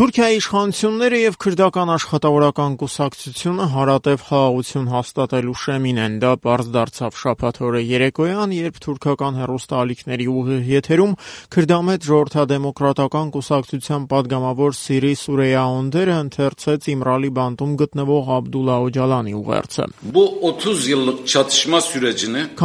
Թուրքիայի իշխանությունները եւ քրդական աշխատավորական կուսակցությունը հարատև խաղաղություն հաստատելու շեմին են, դա պարզ դարձավ շաբաթ օրը երեկոյան, երբ թուրքական հեռուստաալիքների ուղիղ եթերում քրդամետ ժողովրդադեմոկրատական կուսակցության падգամավոր Սիրի Սուրեյա Օնդերը ընթերցեց Իմրալի բանտում գտնվող Աբդուլլա Օջալանի ուղերձը։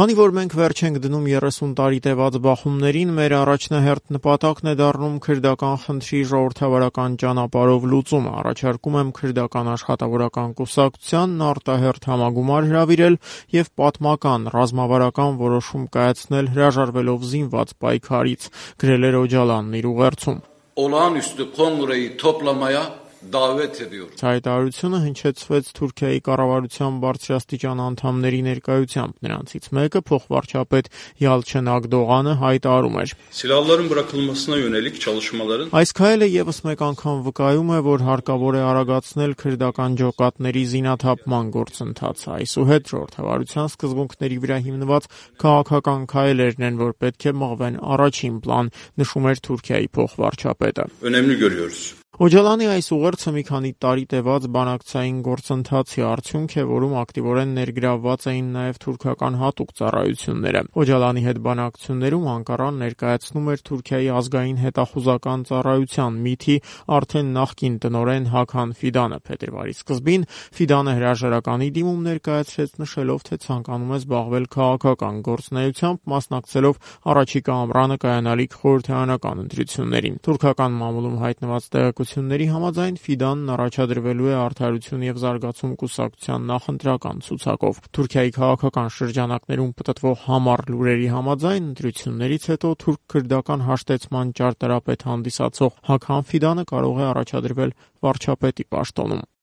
Քանի որ մենք վերջ ենք դնում 30 տարի տևած բախումներին, մեր առաջնահերթ նպատակն է դառնում քրդական խնդրի ժողովրդավարական ճանապարհով լուծումը, առաջարկում եմ քրդական աշխատավորական կուսակցությանն արտահերթ համագումար հրավիրել եւ պատմական, ռազմավարական որոշում կայացնել հրաժարվելով զինված պայքարից, գրել էր Օջալանն իր ուղերձում։ Olağanüstü kongreyi toplamaya davet ediyor. Հայտարարությունը հնչեցվեց Թուրքիայի կառավարության բարձրաստիճան անդամների ներկայությամբ, նրանցից մեկը փոխվարչապետ Yalçın Akdoğan'ը հայտարարում էր. Silahların bırakılmasına yönelik çalışmaların Այս քայլը եւս մեկ անգամ վկայում է, որ հարկավոր է արագացնել քրդական ջոկատների զինաթափման գործընթացը։ Այսուհետ ժողովրդավարության սկզբունքների վրա հիմնված քաղաքական քայլերն են, որ պետք է մղվեն առաջին պլան, նշում էր Թուրքիայի փոխվարչապետը։ önemli görüyoruz. Օջալանի այս ուղերձը մի քանի տարի տևած բանակցային գործընթացի արդյունք է, որում ակտիվորեն ներգրավված էին նաև թուրքական հատուկ ծառայությունները։ Օջալանի հետ բանակցություններում Անկարան ներկայացնում էր Թուրքիայի ազգային հետախուզական ծառայության ՄԻԹ-ի արդեն նախկին տնօրեն Հական Ֆիդանը։ Փետրվարի սկզբին Ֆիդանը հրաժարականի դիմում ներկայացրեց, նշելով, թե ցանկանում է զբաղվել քաղաքական գործունեությամբ, մասնակցելով առաջիկա ամռանը կայանալիք խորհրդարանական ընտրություններին։ Թուրքական մամուլում հայտնված տեղեկությունների համաձայն Ֆիդանն առաջադրվելու է Արդարություն եւ զարգացում կուսակցության նախընտրական ցուցակով։ Թուրքիայի քաղաքական շրջանակներում պտտվող համառ լուրերի համաձայն ընտրություններից հետո թուրք-քրդական հաշտեցման ճարտարապետ հանդիսացող Հական Ֆիդանը կարող է առաջադրվել վարչապետի պաշտոնում։